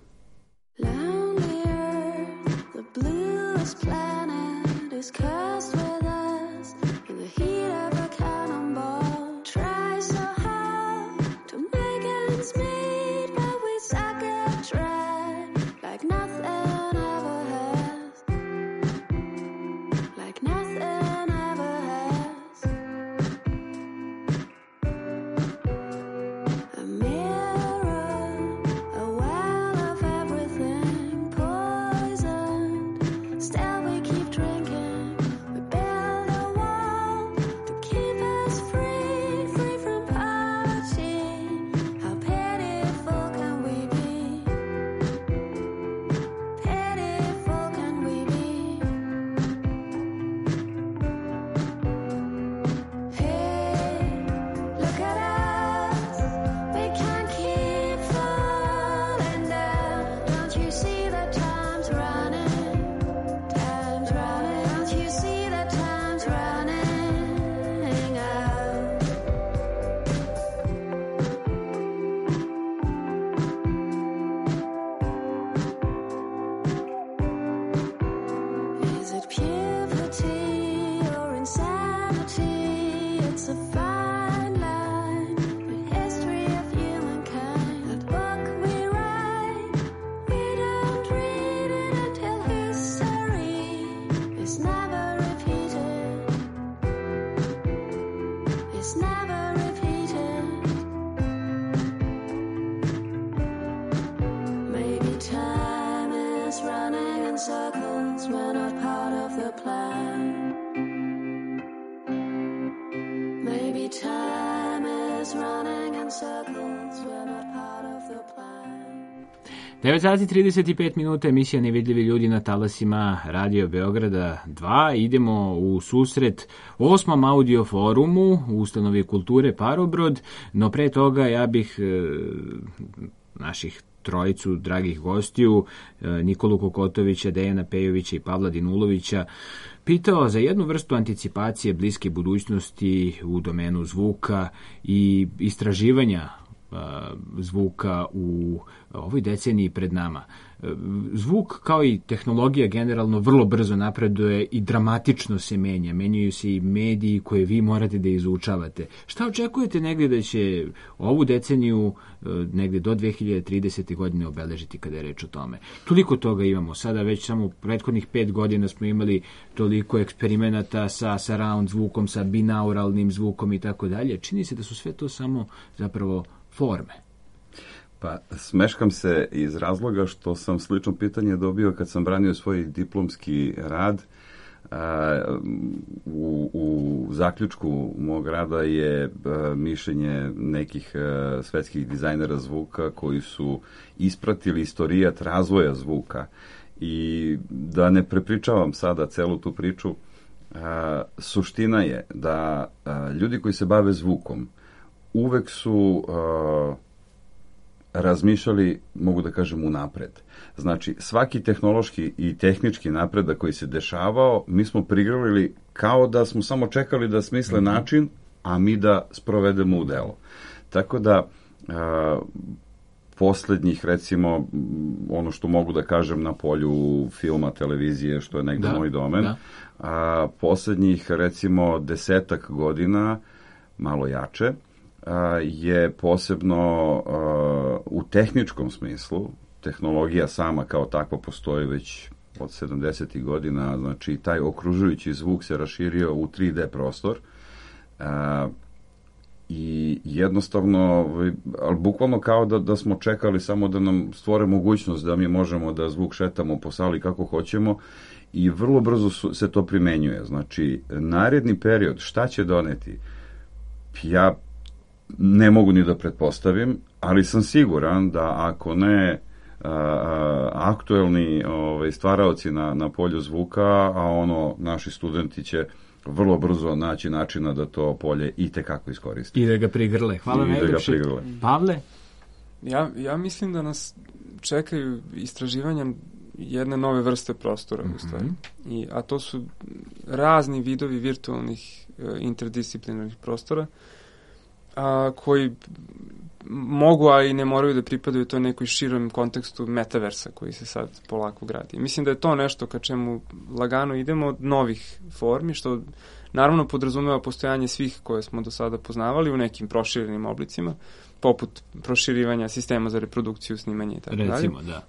Is it puberty or insanity? we're not part of the plan. Maybe time is running in circles, we're not part of the plan. 9 sati 35 minuta, emisija Nevidljivi ljudi na talasima Radio Beograda 2. Idemo u susret 8. audio forumu u Ustanovi kulture Parobrod, no pre toga ja bih naših trojicu dragih gostiju, Nikolu Kokotovića, Dejana Pejovića i Pavla Dinulovića, pitao za jednu vrstu anticipacije bliske budućnosti u domenu zvuka i istraživanja zvuka u ovoj deceniji pred nama. Zvuk, kao i tehnologija generalno, vrlo brzo napreduje i dramatično se menja. Menjaju se i mediji koje vi morate da izučavate. Šta očekujete negdje da će ovu deceniju negdje do 2030. godine obeležiti kada je reč o tome? Toliko toga imamo. Sada već samo prethodnih 5 godina smo imali toliko eksperimenata sa surround zvukom, sa binauralnim zvukom i tako dalje. Čini se da su sve to samo zapravo forme. Pa, smeškam se iz razloga što sam slično pitanje dobio kad sam branio svoj diplomski rad. U zaključku mog rada je mišljenje nekih svetskih dizajnera zvuka koji su ispratili istorijat razvoja zvuka. I da ne prepričavam sada celu tu priču, suština je da ljudi koji se bave zvukom uvek su razmišljali, mogu da kažem, unapred. Znači, svaki tehnološki i tehnički napredak koji se dešavao, mi smo prigrlili kao da smo samo čekali da smisle način, a mi da sprovedemo u delo. Tako da, poslednjih, recimo, ono što mogu da kažem na polju filma, televizije, što je negde moj domen, poslednjih, recimo, 10 godina, malo jače, je posebno u tehničkom smislu, tehnologija sama kao takva postoji već od 70. godina, znači taj okružujući zvuk se raširio u 3D prostor i jednostavno, ali bukvalno kao da smo čekali samo da nam stvore mogućnost da mi možemo da zvuk šetamo po sali kako hoćemo i vrlo brzo se to primenjuje. Znači, naredni period, šta će doneti? Ja ne mogu ni da pretpostavim, ali sam siguran da ako ne aktuelni stvaraoci na polju zvuka, a naši studenti će vrlo brzo naći načina da to polje i tekako iskoristi. I da ga prigrle. Hvala najlepše. Pavle? Ja mislim da nas čekaju istraživanja jedne nove vrste prostora, u stvari. A to su razni vidovi virtualnih interdisciplinarnih prostora, koji mogu, a i ne moraju da pripadaju to nekoj širom kontekstu metaversa koji se sad polako gradi. Mislim da je to nešto ka čemu lagano idemo od novih formi, što naravno podrazumeva postojanje svih koje smo do sada poznavali u nekim proširenim oblicima, poput proširivanja sistema za reprodukciju, snimanje i tako dalje. Recimo, da.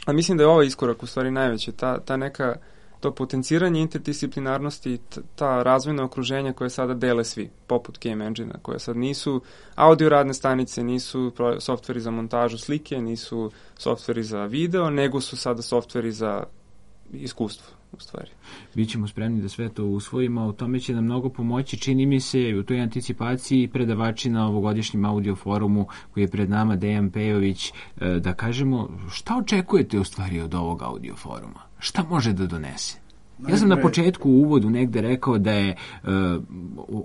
A mislim da je ovaj iskorak u stvari najveće, ta neka to potenciranje interdisciplinarnosti i ta razvojna okruženja koje sada dele svi, poput Game Engine-a, koje sad nisu audio radne stanice, nisu softveri za montažu slike, nisu softveri za video, nego su sada softveri za iskustvo, u stvari. Bićemo spremni da sve to usvojimo, u tome će nam mnogo pomoći, čini mi se, u toj anticipaciji predavači na ovogodišnjem audio forumu koji je pred nama, Dejan Pejović, da kažemo šta očekujete u stvari od ovog audio foruma? Šta može da donese? Ja sam na početku u uvodu negde rekao da je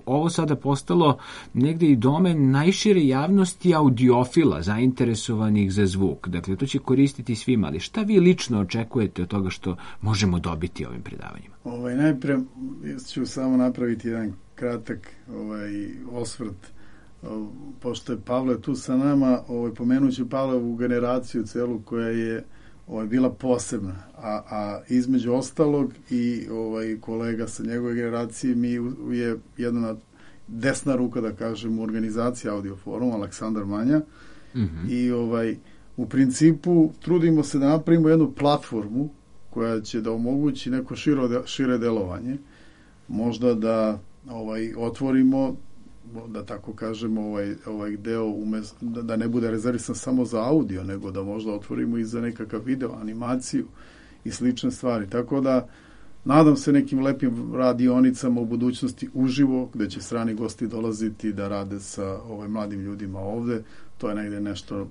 ovo sada postalo negde i domen najšire javnosti audiofila, zainteresovanih za zvuk. Dakle, to će koristiti svima, ali šta vi lično očekujete od toga što možemo dobiti ovim predavanjima? Najpre ću samo napraviti jedan kratak osvrt. Pošto je Pavle tu sa nama, pomenuću Pavlovu generaciju celu koja je bila posebna, a između ostalog i kolega sa njegove generacije mi je jedna desna ruka, da kažem, u organizaciji Audio Foruma, Aleksandar Manja, i u principu trudimo se da napravimo jednu platformu koja će da omogući neko šire delovanje, možda da otvorimo, da tako kažemo, ovaj deo da ne bude rezervisan samo za audio, nego da možda otvorimo i za nekakav video, animaciju i slične stvari. Tako da nadam se nekim lepim radionicama u budućnosti uživo, gde će strani gosti dolaziti da rade sa mladim ljudima ovde. To je negde nešto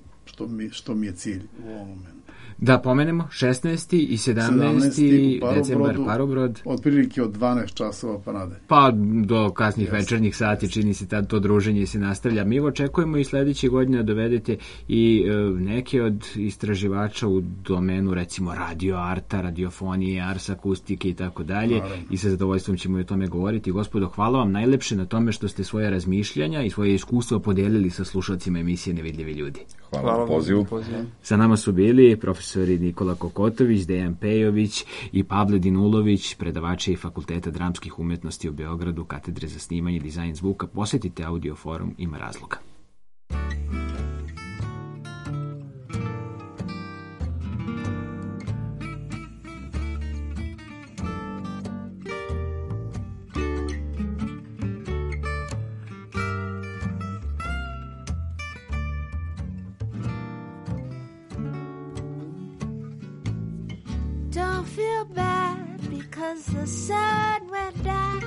što mi je cilj u ovom momentu. Da pomenemo, 16. i 17. decembar Parobrod. Otprilike od 12 časova pa nadalje. Pa do kasnih večernjih sati, čini se tad to druženje se nastavlja. Mi očekujemo i sledeće godine da dovedete i neke od istraživača u domenu, recimo radio arta, radiofonije, ars akustike i tako dalje. I sa zadovoljstvom ćemo i o tome govoriti. Gospodo, hvala vam najlepše na tome što ste svoje razmišljanja i svoje iskustvo podelili sa slušalcima emisije Nevidljivi ljudi. Hvala na pozivu. Sa nama su bili profesori Nikola Kokotović, Dejan Pejović i Pavle Dinulović, predavači i Fakulteta dramskih umetnosti u Beogradu, katedre za snimanje i dizajn zvuka. Posetite Audio forum, ima razloga. Don't feel bad because the sun went down.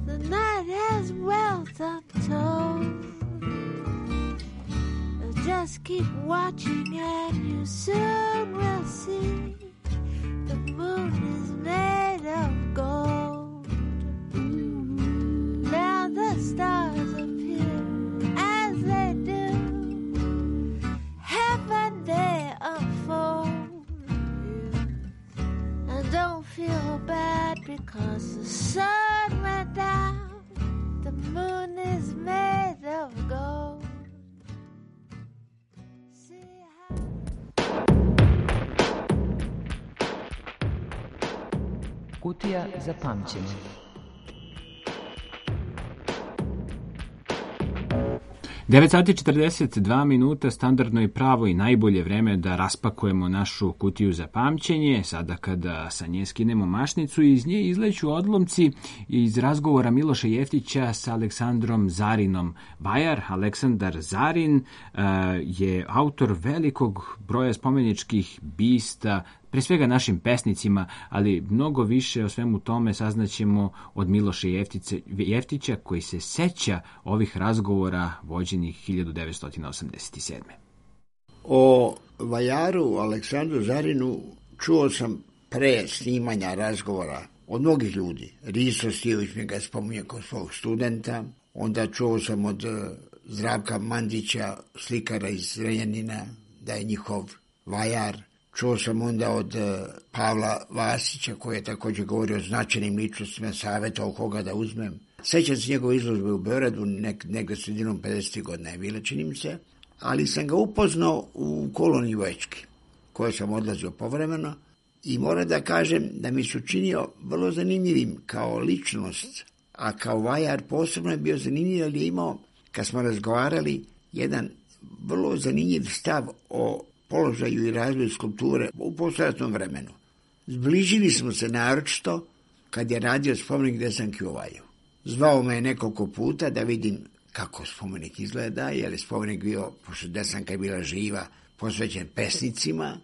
The night has wealth untold. Just keep watching and you soon will see the moon is made of gold. Now the stars appear as they do. Heaven they unfold. Don't feel bad because the sun went down. The moon is made of gold. Kutija za pamćenje. Devet sati 42 minuta, standardno i pravo i najbolje vreme da raspakujemo našu kutiju za pamćenje. Sada kada sa nje skinemo mašnicu, iz nje izleću odlomci iz razgovora Miloša Jeftića sa Aleksandrom Zarinom. Vajar Aleksandar Zarin je autor velikog broja spomeničkih bista, pre svega našim pesnicima, ali mnogo više o svemu tome saznaćemo od Miloša Jeftića, koji se seća ovih razgovora vođenih 1987. O vajaru Aleksandru Zarinu čuo sam pre snimanja razgovora od mnogih ljudi. Risto Stijović mi ga spominje kod svog studenta, onda čuo sam od Zdravka Mandića, slikara iz Zrenjanina, da je njihov vajar. Čuo sam onda od Pavla Vasića, koji je također govorio o značajnim ličnostima, savjetovao koga da uzmem. Sećam se njegove izložbe u Beogradu, negde sredinom 50. godina je bila, čini mi se, ali sam ga upoznao u koloniji voječki, koje sam odlazio povremeno, i moram da kažem da mi se učinio vrlo zanimljivim kao ličnost, a kao vajar posebno je bio zanimljiv, ali je imao, kad smo razgovarali, jedan vrlo zanimljiv stav o položaju i razvoju skulpture u poslijeratnom vremenu. Zbližili smo se naročito kad je radio spomenik Desanki u Valjevu. Zvao me je nekoliko puta da vidim kako spomenik izgleda, jer je spomenik bio, pošto Desanka je bila živa, posvećen pesnicima,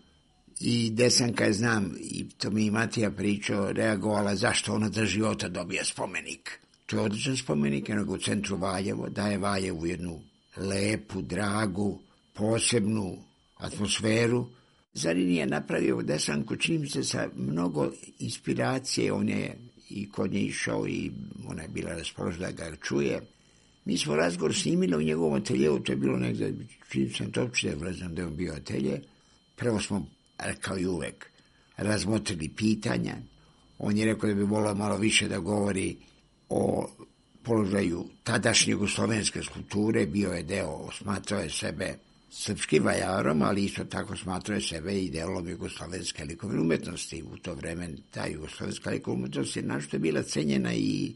i Desanka je, znam, i to mi i Matija pričao, reagovala zašto ona za života dobija spomenik. To je odličan spomenik, nego u centru Valjevo, daje Valjevu jednu lepu, dragu, posebnu atmosferu. Zarin je napravio Desanku, čini mi se, sa mnogo inspiracije. On je i kod nje išao i ona je bila raspoložena da ga čuje. Mi smo razgovor snimili u njegovom ateljevu, to je bilo negdje, čini sam to uopšte, ne znam da je on bio atelje. Prvo smo, kao i uvek, razmotrili pitanja. On je rekao da bi volio malo više da govori o položaju tadašnje jugoslovenske skulpture, bio je deo, smatrao je sebe srpskim vajarom, ali isto tako smatrao je sebe i delom jugoslovenske likovne umetnosti. U to vreme ta jugoslovenska likovna umetnost je našto je bila cenjena i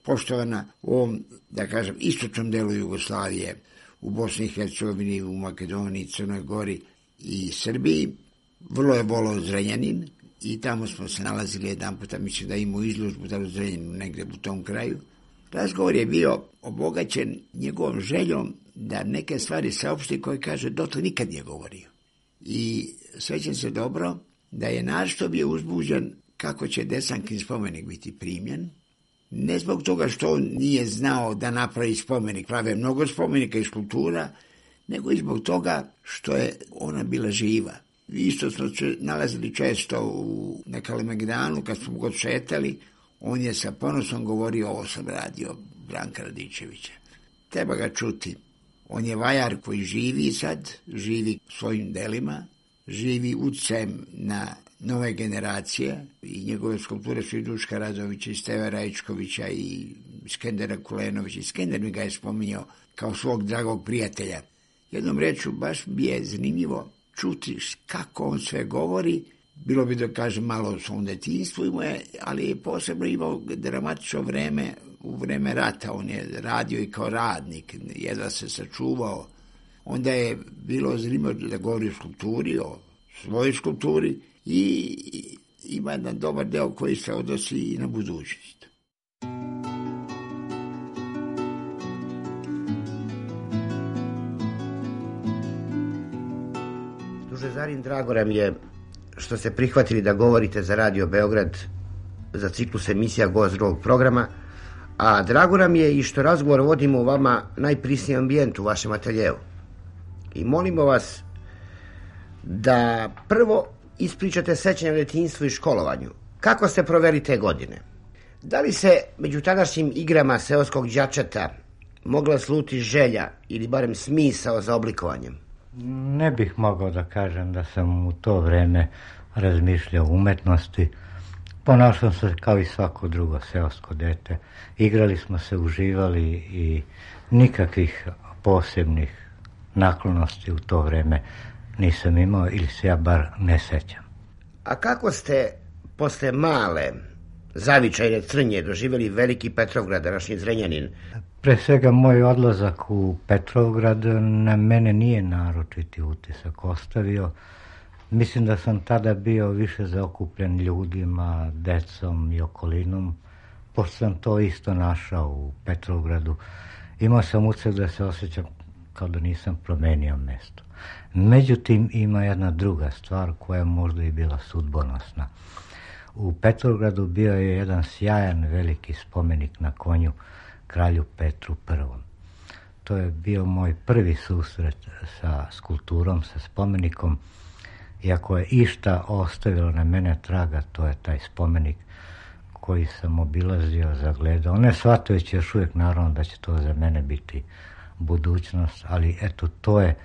poštovana u ovom, da kažem, istočnom delu Jugoslavije, u Bosni i Hercegovini, u Makedoniji, Crnoj Gori i Srbiji. Vrlo je volao Zrenjanin i tamo smo se nalazili jedan puta, mislim da imao izložbu da u Zrenjaninu negde u tom kraju. Razgovor je bio obogaćen njegovom željom da neke stvari saopšti koje, kaže, dotle nikad nije govorio. I sećam se dobro da je našto bio uzbuđen kako će Desankin spomenik biti primljen. Ne zbog toga što on nije znao da napravi spomenik, prave mnogo spomenika i skulptura, nego i zbog toga što je ona bila živa. Isto smo nalazili često na Kalemegdanu, kad smo god šetali, on je sa ponosom govorio, ovo sam radio Branka Radičevića. Treba ga čuti. On je vajar koji živi sad, živi svojim delima, živi utjecajem na nove generacije i njegove skulpture su i Duška Radovića, i Steve Rajčkovića, i Skendera Kulenovića. I Skender mi ga je spominjao kao svog dragog prijatelja. Jednom rečju, baš bi je zanimljivo čuti kako on sve govori. Bilo bi da kažem malo o svom detinjstvu, ali je posebno imao dramatično vreme, u vreme rata. On je radio i kao radnik, jedva se sačuvao. Onda je bilo zanimljivo da govori o skulpturi, o svojoj skulpturi, i ima jedan dobar deo koji se odnosi i na budućnost. Druže Zarin, drago nam je što ste prihvatili da govorite za Radio Beograd za ciklus emisija Gost drugog programa, a drago nam je i što razgovor vodimo u vama najprisnijem ambijentu u vašem ateljeu. I molimo vas da prvo ispričate sećanje o detinjstvu i školovanju. Kako ste proveli te godine? Da li se među tadašnjim igrama seoskog đačeta mogla sluti želja ili barem smisao za oblikovanjem? Ne bih mogao da kažem da sam u to vreme razmišljao o umetnosti. Ponašao sam se kao i svako drugo seosko dete. Igrali smo se, uživali i nikakvih posebnih naklonosti u to vreme nisam imao ili se ja bar ne sećam. A kako ste posle male zavičajne Crnje doživjeli veliki Petrovgrad, današnji Zrenjanin? Pre svega moj odlazak u Petrovgrad na mene nije naročiti utisak ostavio. Mislim da sam tada bio više zaokupljen ljudima, decom i okolinom, pošto sam to isto našao u Petrovgradu. Imao sam utisak da se osjećam kao da nisam promenio mesto. Međutim, ima jedna druga stvar koja je možda i bila sudbonosna. U Petrovgradu bio je jedan sjajan veliki spomenik na konju kralju Petru I. To je bio moj prvi susret sa skulpturom, sa spomenikom. Iako je išta ostavilo na mene traga, to je taj spomenik koji sam obilazio, zagledao. Ne shvatajući još uvijek naravno da će to za mene biti budućnost, ali eto, to je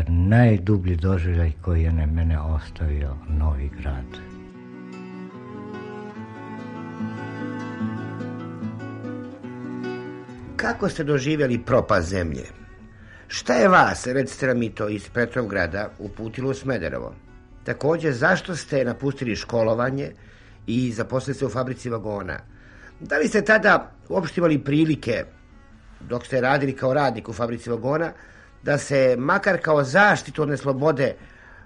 najdublji doživljaj koji je na mene ostavio Novi Grad. Kako ste doživjeli propast zemlje? Šta je vas, recite nam i to, iz Petrovgrada uputilo u Smederevo? Također, zašto ste napustili školovanje i zaposlili se u fabrici vagona? Da li ste tada uopšte imali prilike, dok ste radili kao radnik u fabrici vagona, da se makar kao zaštitu od neslobode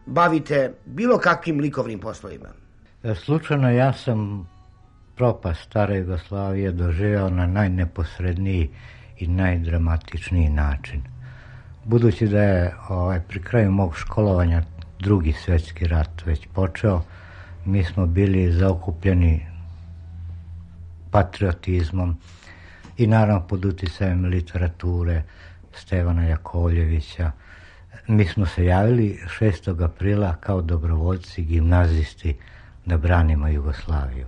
bavite bilo kakvim likovnim poslovima? Slučajno ja sam propast stare Jugoslavije doživao na najneposredniji i najdramatičniji način. Budući da je pri kraju mog školovanja Drugi svjetski rat već počeo, mi smo bili zaokupljeni patriotizmom i naravno pod utjecajem literature Stevana Jakovljevića. Mi smo se javili 6. aprila kao dobrovoljci, gimnazisti, da branimo Jugoslaviju.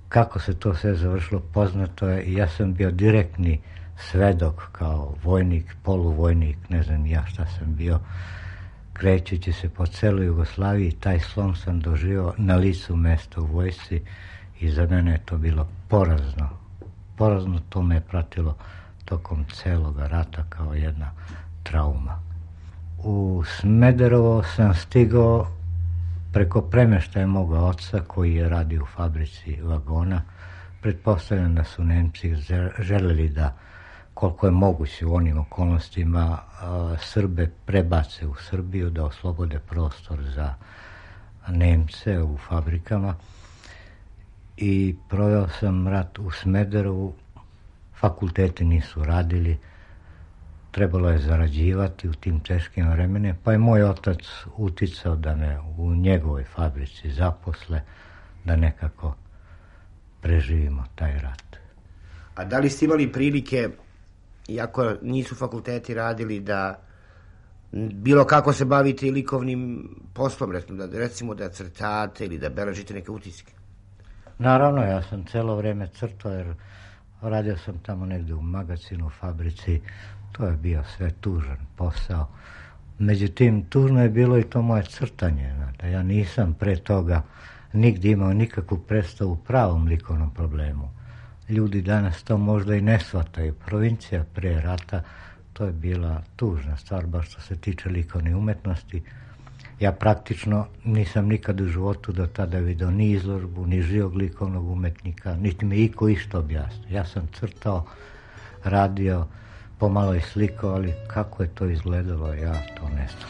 Kako se to sve završilo poznato je i ja sam bio direktni svedok kao vojnik, poluvojnik, ne znam ja šta sam bio, krećući se po celoj Jugoslaviji. Taj slom sam doživio na licu mesta u vojsci i za mene je to bilo porazno. Porazno, to me je pratilo tokom celoga rata kao jedna trauma. U Smederevo sam stigao preko premeštaja moga oca koji je radio u fabrici vagona. Pretpostavljam da su Nemci želeli da, koliko je moguće u onim okolnostima, Srbe prebace u Srbiju, da oslobode prostor za Nemce u fabrikama. I proveo sam rat u Smederevu, fakulteti nisu radili, trebalo je zarađivati u tim teškim vremenima, pa je moj otac uticao da me u njegovoj fabrici zaposle, da nekako preživimo taj rat. A da li ste imali prilike, iako nisu fakulteti radili, da bilo kako se bavite i likovnim poslom, recimo da crtate ili da beležite neke utiske? Naravno, ja sam celo vreme crtao, jer radio sam tamo negde u magazinu, u fabrici, to je bio sve tužan posao. Međutim, tužno je bilo i to moje crtanje. Znate. Ja nisam pre toga nigdje imao nikakvu predstavu u pravom likovnom problemu. Ljudi danas to možda i ne shvataju. Provincija pre rata, to je bila tužna stvar, baš što se tiče likovne umetnosti. Ja praktično nisam nikad u životu do tada vidio ni izložbu, ni živog likovnog umetnika, niti mi iko išto objasnio. Ja sam crtao, radio, pomalo i slikao, ali kako je to izgledalo, ja to ne znam.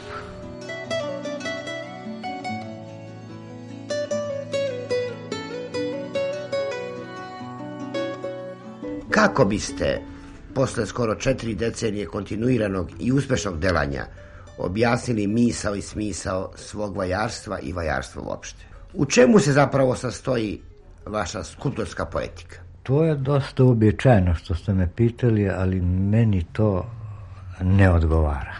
Kako biste, posle skoro 4 decenije kontinuiranog i uspešnog delanja, objasnili misao i smisao svog vajarstva i vajarstva uopšte? U čemu se zapravo sastoji vaša skulptorska poetika? To je dosta uobičajeno što ste me pitali, ali meni to ne odgovara.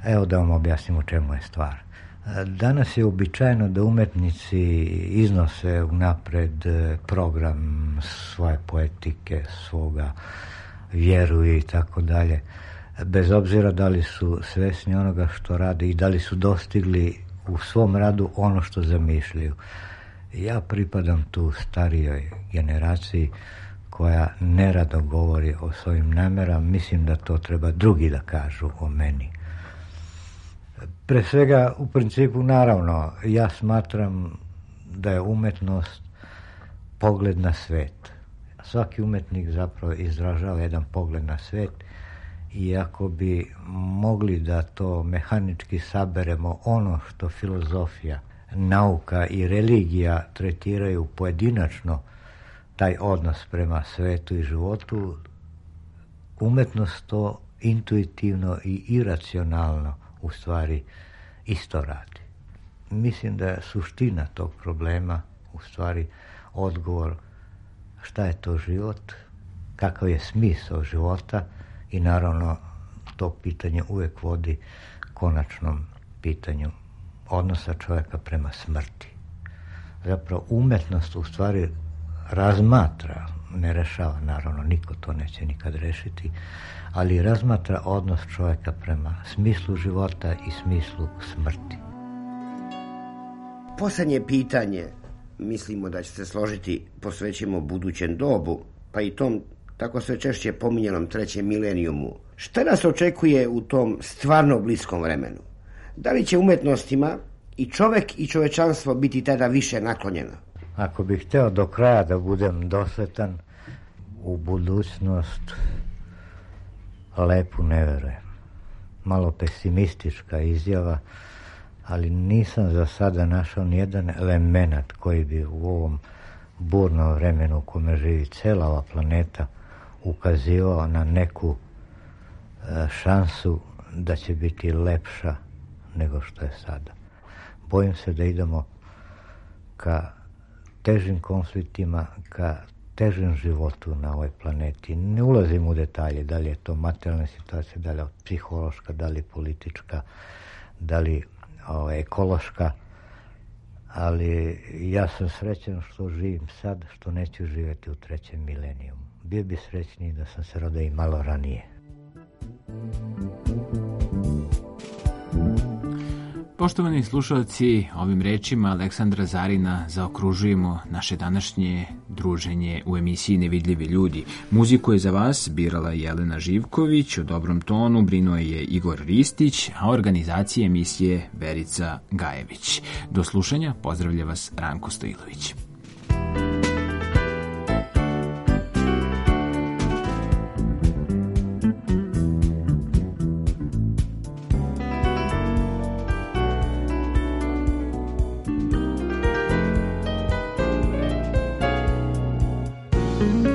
Evo da vam objasnim u čemu je stvar. Danas je uobičajeno da umetnici iznose unapred program svoje poetike, svoga vjeruju i tako dalje, bez obzira da li su svesni onoga što rade i da li su dostigli u svom radu ono što zamišljaju. Ja pripadam tu starijoj generaciji koja nerado govori o svojim namerama. Mislim da to treba drugi da kažu o meni. Pre svega, u principu, naravno, ja smatram da je umetnost pogled na svet. Svaki umetnik zapravo izražava jedan pogled na svet i ako bi mogli da to mehanički saberemo, ono što filozofija, nauka i religija tretiraju pojedinačno, taj odnos prema svetu i životu, umetnost to intuitivno i iracionalno u stvari isto radi. Mislim da je suština tog problema u stvari odgovor šta je to život, kakav je smisao života i naravno to pitanje uvek vodi konačnom pitanju odnosa čovjeka prema smrti. Zapravo umetnost u stvari razmatra, ne rešava, naravno niko to neće nikad rešiti, ali razmatra odnos čovjeka prema smislu života i smislu smrti. Poslednje pitanje, mislimo da će se složiti, posvećujemo budućem dobu, pa i tom tako sve češće pominjanom 3. milenijumu. Šta nas očekuje u tom stvarno bliskom vremenu? Da li će umetnostima i čovek i čovečanstvo biti tada više naklonjeno? Ako bih hteo do kraja da budem dosletan, u budućnost lepu ne verujem. Malo pesimistička izjava, ali nisam za sada našao nijedan element koji bi u ovom burnom vremenu u kome živi cela ova planeta ukazivao na neku šansu da će biti lepša nego što je sada. Bojim se da idemo ka težim konfliktima, ka težem životu na ovoj planeti. Ne ulazim u detalje, da li je to materijalna situacija, da li je psihološka, da li politička, da li ekološka, ali ja sam srećan što živim sad, što neću živjeti u 3. milenijumu. Bio bi srećniji da sam se rodio i malo ranije. Poštovani slušalci, ovim rečima Aleksandra Zarina zaokružujemo naše današnje druženje u emisiji Nevidljivi ljudi. Muziku je za vas birala Jelena Živković, u dobrom tonu brinuo je Igor Ristić, a organizacija emisije Verica Gajević. Do slušanja, pozdravlja vas Ranko Stojilović. Thank you.